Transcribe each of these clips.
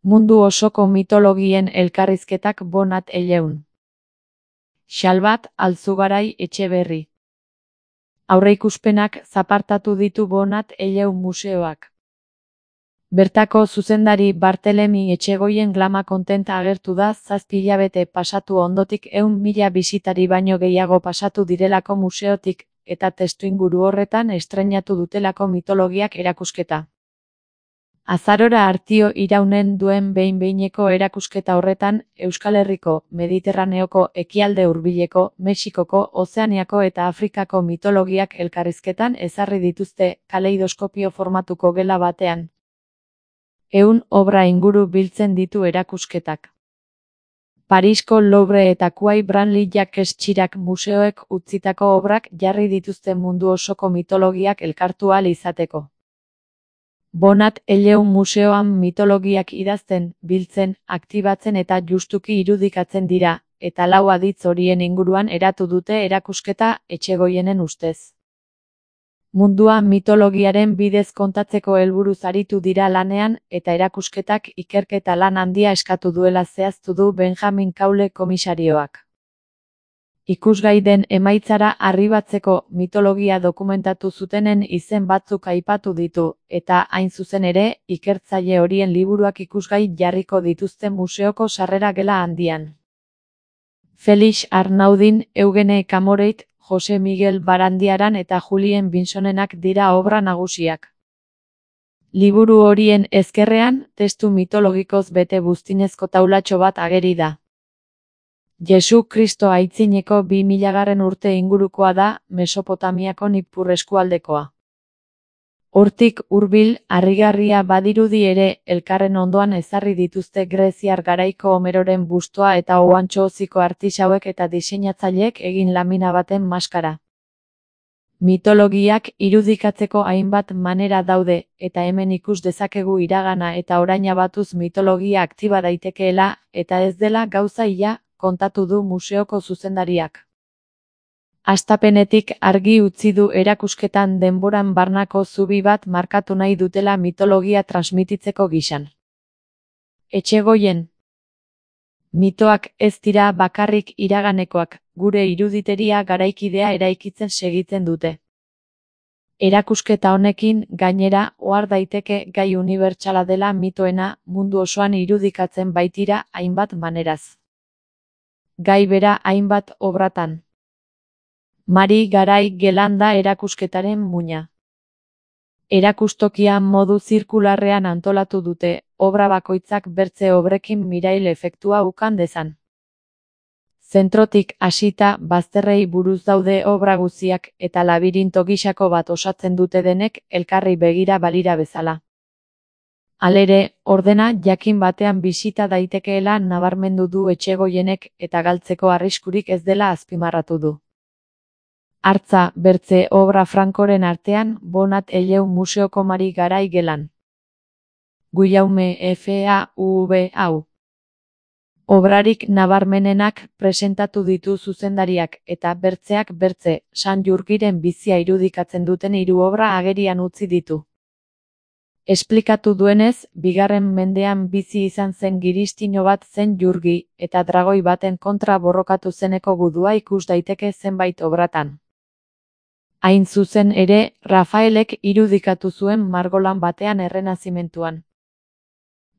Mundu osoko mitologien elkarrizketak Bonat Elleun. Xalbat Alzugarai Etxeberri. Aurreikuspenak zapartatu ditu Bonat Elleun museoak. Bertako zuzendari Bartelemi Etxegoien glama kontenta agertu da 7 hilabete pasatu ondotik 100.000 bisitari baino gehiago pasatu direlako museotik, eta testuinguru horretan estreinatu dutelako mitologiak erakusketa. Azarora Artio iraunen duen behin-behineko erakusketa horretan, Euskal Herriko, Mediterraneoko, Ekialde Hurbileko, Mexikoko, Ozeaniako eta Afrikako mitologiak elkarrizketan ezarri dituzte kaleidoskopio formatuko gela batean. 100 obra inguru biltzen ditu erakusketak. Parisko Louvre eta Quai Branly-Jacques Chirac museoek utzitako obrak jarri dituzte mundu osoko mitologiak elkartu ahal izateko. Bonat Elleun museoan mitologiak idazten, biltzen, aktibatzen eta justuki irudikatzen dira, eta 4 aditz horien inguruan eratu dute erakusketa Etxegoienen ustez. Mundua mitologiaren bidez kontatzeko helburuz aritu dira lanean, eta erakusketak ikerketa lan handia eskatu duela zehaztu du Benjamin Kaule komisarioak. Ikusgai den emaitzara arribatzeko mitologia dokumentatu zutenen izen batzuk aipatu ditu, eta hain zuzen ere, ikertzaile horien liburuak ikusgai jarriko dituzte museoko sarrera gela handian. Felix Arnaudin, Eugene Camoreit, Jose Miguel Barandiaran eta Julien Binsonenak dira obra nagusiak. Liburu horien ezkerrean, testu mitologikoz bete buztinezko taulatxo bat ageri da. Jesu Kristo aitzineko 2000 urte ingurukoa da, Mesopotamiako Nippur eskualdekoa. Hortik hurbil, harrigarria badirudi ere, elkarren ondoan ezarri dituzte greziar garaiko Homeroren bustoa eta ohantxo-hoziko artisauek eta diseinatzaileek egin lamina baten maskara. Mitologiak irudikatzeko hainbat manera daude, eta hemen ikus dezakegu iragana eta oraina batuz mitologia aktiba daitekeela, eta ez dela gauza ia, kontatu du museoko zuzendariak. Hastapenetik argi utzi du erakusketan denboran barnako zubi bat markatu nahi dutela mitologia transmititzeko gisan. Etxegoien. Mitoak ez dira bakarrik iraganekoak, gure iruditeria garaikidea eraikitzen segitzen dute. Erakusketa honekin, gainera, ohar daiteke gai unibertsala dela mitoena mundu osoan irudikatzen baitira hainbat maneraz. Gai bera hainbat obratan. Mari Garai Gelanda erakusketaren muina. Erakustokia modu zirkularrean antolatu dute, obra bakoitzak bertze obrekin mirail efektua ukan dezan. Zentrotik hasita bazterrei buruz daude obra guztiak eta labirinto gisako bat osatzen dute denek elkarri begira balira bezala. Halere, ordena jakin batean bisita daitekeela nabarmendu du Etxegoienek eta galtzeko arriskurik ez dela azpimarratu du. Hartza, bertze obra frankoren artean, Bonat Elleun museoko Mari Garai gelan. Guillaume FAUV hau. Obrarik nabarmenenak presentatu ditu zuzendariak eta bertzeak bertze, San Jurgiren bizia irudikatzen duten 3 obra agerian utzi ditu. Esplikatu duenez, 2. mendean bizi izan zen giristino bat zen Jurgi, eta dragoi baten kontra borrokatu zeneko gudua ikus daiteke zenbait obratan. Hain zuzen ere, Rafaelek irudikatu zuen margolan batean errenazimentuan.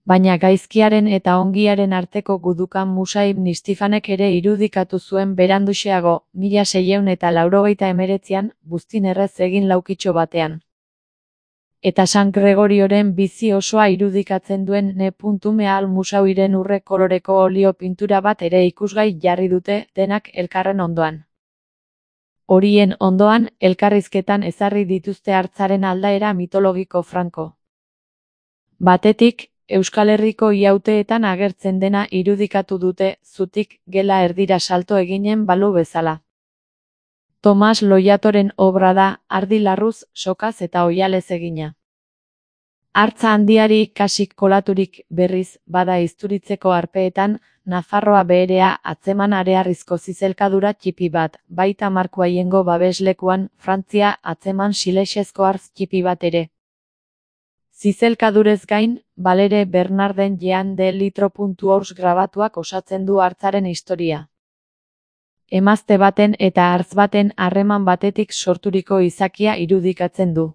Baina gaizkiaren eta ongiaren arteko gudukan Musaib Nistifanek ere irudikatu zuen beranduxeago, 1689an, buztin errez egin laukitxo batean. Eta San Gregorioren bizi osoa irudikatzen duen N.Meal Musauiren urre koloreko olio pintura bat ere ikusgai jarri dute denak elkarren ondoan. Horien ondoan, elkarrizketan ezarri dituzte hartzaren aldaera mitologiko franko. Batetik, Euskal Herriko iauteetan agertzen dena irudikatu dute, zutik gela erdira salto eginen balu bezala. Tomas Loiatoren obra da, ardi larruz, sokaz eta oihalez egina. Hartza handiari kasik kolaturik berriz, bada izturitzeko arpeetan, Nafarroa beherea atzeman arearrizko zizelkadura txipi bat, baita Marko Aiengo babeslekuan, Frantzia atzeman silexezko hartz txipi bat ere. Zizelkadurez gain, Balere Bernarden Jean de Litro.ours grabatuak osatzen du hartzaren historia. Emazte baten eta hartz baten harreman batetik sorturiko izakia irudikatzen du.